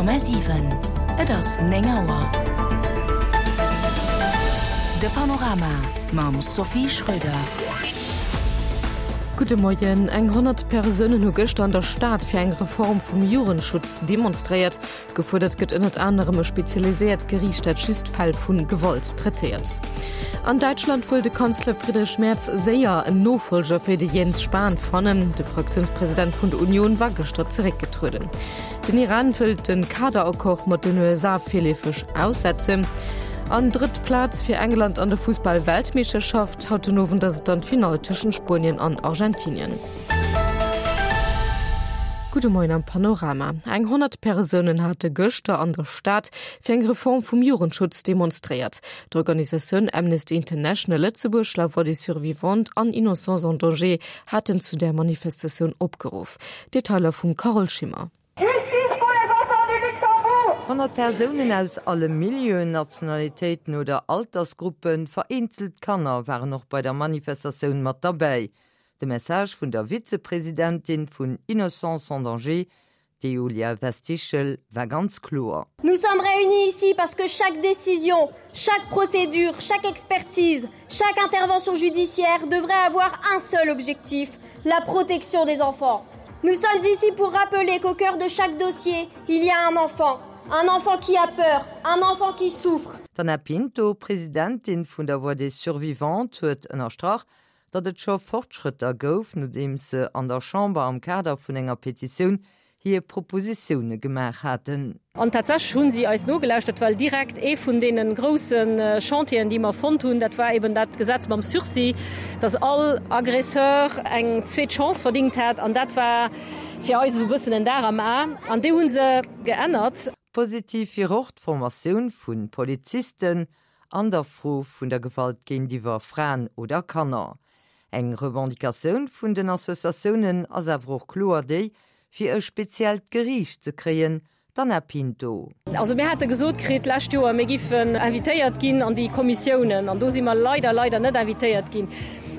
100,7 Et ass 9 Auer. De Panorama mam Sophie Schröder. Gudde Moien. Eng 100 Persounen hu gëschter an der Stad fir eng Reform vum Jugendschutz demonstréiert. Gefuerdert gëtt ënnert anerem e spezialiséiert Geriicht, dat just Fäll vu Gewalt traitéiert. An Däitschland wëll de Kanzler Friedrich Merz séier en Nofollger fir de Jens Spahn fannen. De Fraktiounspresident vun der Union war gëschter zeréckgetrueden. Den Iran wëllt de Kaderaccord mat den USA virleefeg aussetzen. An drëtt Plaz fir England an der Fussball-Weltmeeschterschaft. Haut den Owend ass et dann d'Finall tëschent Spuenien an Argentinien. Gudde Moien am Panorama. Eng 100 Persounen hate gëschter an der Stad fir eng Reform vum Jugendschutz demonstréiert. D'Organisatioun Amnesty International Lëtzebuerg, La Voix des Survivantes an Innocents en Danger haten zu där Manifestatioun opgeruff. Detailer vum Carole Schimmer. Justice pour les enfants du Luxembourg! 100 Persounen aus alle Milieuen, Nationalitéiten oder Altersgruppen, vereenzelt Kanner waren och bei der Manifestatioun mat derbäi. De Message vun der Vizepresidentin vun Innocence en danger, d'Julia Westichel, war ganz kloer. Nous sommes réunis ici parce que chaque décision, chaque procédure, chaque expertise, chaque intervention judiciaire devrait avoir un seul objectif, la protection des enfants. Nous sommes ici pour rappeler qu'au cœur de chaque dossier, il y a un enfant, un enfant qui a peur, un enfant qui souffre. D'Anna Pinto, Presidentin vun der Voix des Survivantes, huet ënnerstrach, datt et scho Fortschrëtter gouf, nodeems se an der Chamber am Kader vun enger Petitioun hir Propositioune gemaach haten. An tatsächlech hu si eis nogelauschtert, well direkt ee vun deene grousse Chantieren, déi mer fonnt hunn, dat war eben dat Gesetz mam Sursis, datt all Agresseur eng zweet Chance verdingt hätt. An dat war fir eis esou e bëssen en Dar am A. An déi hu se geännert. Positiv wier och d'Formatioun vu Polizisten an der Fro vun der Gewalt géintiwwer Fraen oder Kanner. Eng Revendicatioun vun den Associatiounen ass awer och kloer déi, fir e speziellt Geriicht ze kréien, d'Anna Pinto. Also mir hate gesot kritt d'lescht Joer, mir giffen invitéiert ginn an déi Kommissiounen, an do si mer leider, leider net invitéiert ginn.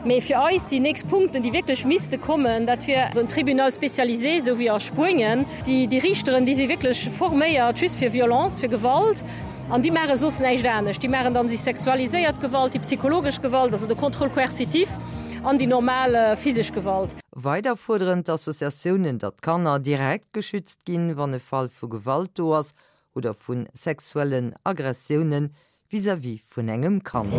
Mee fir eis déi nächst Punkten, déi wierklech misste kommen, dat wier esou en Tribunal spécialisé, esou wéi a Spuenien. Déi Riichteren, déi si wierklech forméiert just fir Violence, fir Gewalt. An déi maache soss näischt anescht. Déi maachen dann déi sexualiséiert Gewalt, déi psychologesch Gewalt, also de Contrôle coercitif, an déi normal physesch Gewalt. Weider fuerderen d'Associatiounen, datt d'Kanner direkt geschützt ginn, wann e Fall vu Gewalt do ass oder vu sexuellen Agressioune vis-à-vis vun engem Kand.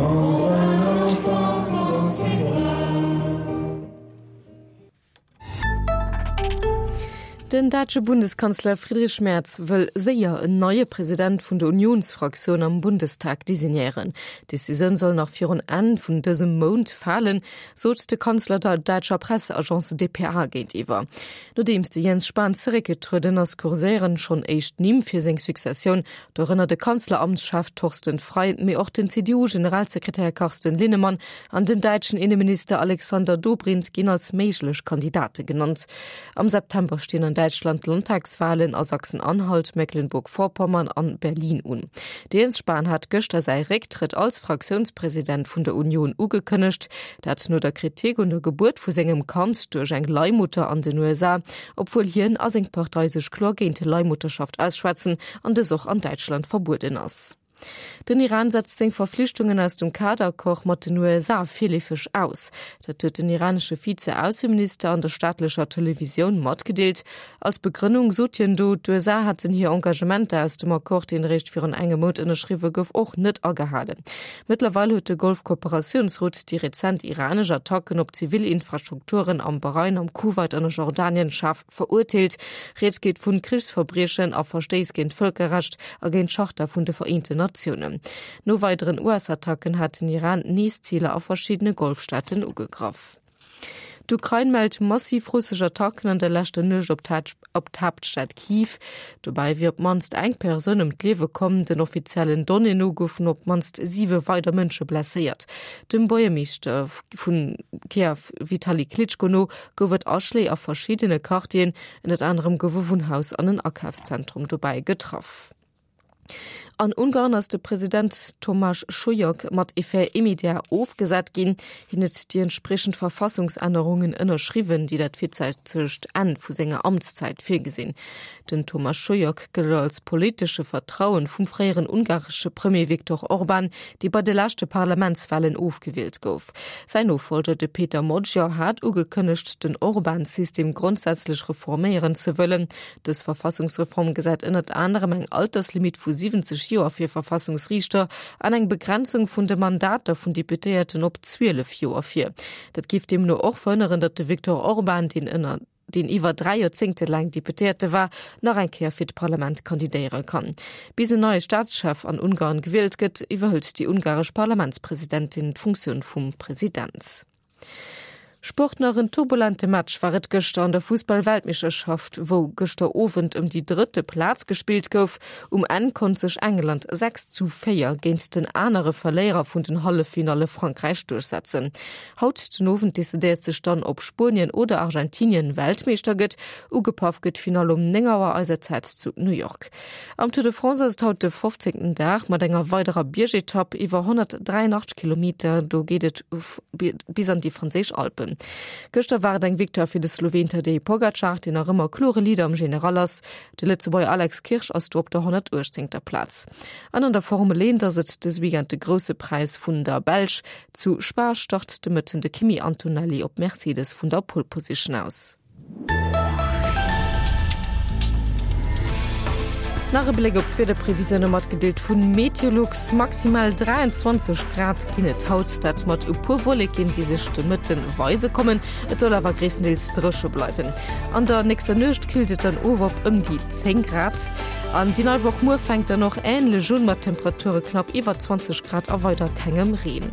Den däitsche Bundeskanzler Friedrich Merz wëll séier en neie President vun der Unionsfraktioun am Bundestag designéieren. D'Decisioun soll nach virun Enn vun dësem Mount falen, sot de Kanzler der däitscher Presseagence dpa géintiwwer. Nodeems de Jens Spahn zeréckgetrueden ass, kurséieren schonn éischt Nimm fir seng Successioun, dorënner de Kanzleramtschef Thorsten Frei, mee och den CDU-Generalsekretär Carsten Linnemann An den däitschen Inneminister Alexander Dobrindt ginn als méiglech Kandidate genannt. Am September stinn an Däitschland d'Landtagswalen a Sachsen-Anhalt, Mecklenburg-Vorpommern an Berlin un. De Jens Spahn hat gëschter säi Récktrëtt als Fraktiounspresident vun der Union ugekënnegt. Dat no der Kritik un der Gebuert vu sengem Kand duerch eng Leihmutter an den USA, obwuel hien a seng Partei sech kloer géint Leihmutterschaft ausschwätzen an dës och an Däitschland verbueden ass. Den Iran setzt seng Verflichtungen aus dem Kaderaccord mat den USA virleefeg aus. Dat huet den iranesche Vize-Ausseminister an der staatlecher Televisioun matgedeelt. Als Begrënnung sot hien do, d'USA hätten hir Engagementer aus dem Accord, deen eréischt virun engem Mount ënnerschriwwe gouf, och net agehalen. Mëttlerweil huet de Golfkooperatiounsrot déi rezent iranesch Attacken op zivil Infrastrukturen am Bahrain, am Kuwait an a Jordanien schaarf Verurteelt. Rieds geet vun Krichsverbriechen a Verstéiss géint d'Vëlkerrecht a géint d'Charta vun de Vereenten Natiounen. No weideren US-Attacken hat den Iran nees Ziler a verschiddene Golfstaaten ugegraff. D'Ukrain mellt massiv russesch Attacken an der leschter Nuecht op d'Haaptstad Kiew. Dobäi wier op d'mannst eng Persoun ëm d'Liewe komm. Den offiziellen Donnéeën no goufen op d'mannst siwe weider Mënsche blesséiert. Dem Buergermeeschter vu Kiew Vitali Klitschko no gouf et Aschléi a verschiddene Quartieren, ënnert anerem gouf e Wunnhaus an en Akafszentrum dobäi getraff. An Ungarn ass de President Tamás Sulyok mat Effet immédiat ofgesat ginn. Hien huet déi entspriechend Verfassungsännerungen ënnerschriwwen, déi dat virzäitegt Enn vu senger Amtszäit virgesinn. Den Tamás Sulyok gëllt als politesche Vertrauen vum fréieren ungaresche Premier Viktor Orbán, dee bei de leschte Parlamentswalen ofgewielt gouf. Säin Nofollger, de Péter Magyar, hat ugekënnegt, den Orbán-System grondsätzlech reforméieren ze wëllen. Dës Verfassungsreform gesäit ënnert anerem eng Alterslimitt vu 70 Joer fir Verfassungsriichter an eng Begrenzung vun de Mandater vun Deputéierten op 12 Joer vir. Dat géif deemno och verhënneren, datt de Viktor Orbán, deen ënner deen iwwer 3 Joerzéngte laang Deputéierte war, nach eng Kéier fir d'Parlament kandidéiere kann. Bis en neie Staatschef an Ungarn gewielt gëtt, iwwerhëlt déi ungaresch Parlamentspresidentin d'Funktioun vum President. Sport Nach en turbulente Match war et gëschter an der Fussball-Weltmeeschterschaft, wou gëschter Owend ëm déi drëtte Plaz gespillt gouf. Um Enn konnt sech England 6 zu 4 géint den anere Verléierer vun den Halleffinalle Frankräich duerchsetzen. Haut den Owend decidéiert sech dann, ob Spuenien oder Argentinien Weltmeeschter gëtt. Ugepaff gëtt d'Finall um 9 Auer eiser Zäit zu New York. Am Tour de France ass et haut de 15. Dag mat enger weiderer Biergetapp iwwer 183 Kilometer. Do geet et bis an déi franséisch Alpen. Gëschter war et eng Victoire fir de Sloween Tadej Pogacar, deen nach ëmmer klore Leader am General ass. De Lëtzebuerger Alex Kirsch ass do op der 118. Plaz. An an der Formel 1 ass et dës Weekend de Grousse Präis vun der Belsch. Zu Spa start de Mëtten de Kimi Antonelli op Mercedes vun der Pole Position aus. Nach e Bléck op d'Wiederprevisioune matgedeelt vu Meteolux, Maximal 23 Grad ginn et haut, dat mat e puer Wolleken, déi sech de Mëtte weise kommen. Et soll awer gréisstendeels dréche bleiwen. An der nächster Nuecht killt et dann of op ëm déi 10 Grad. An déi nei Woch muer fänkt dann och änlech un, mat Temperature knapp iwwer 20 Grad a weider kengem Reen.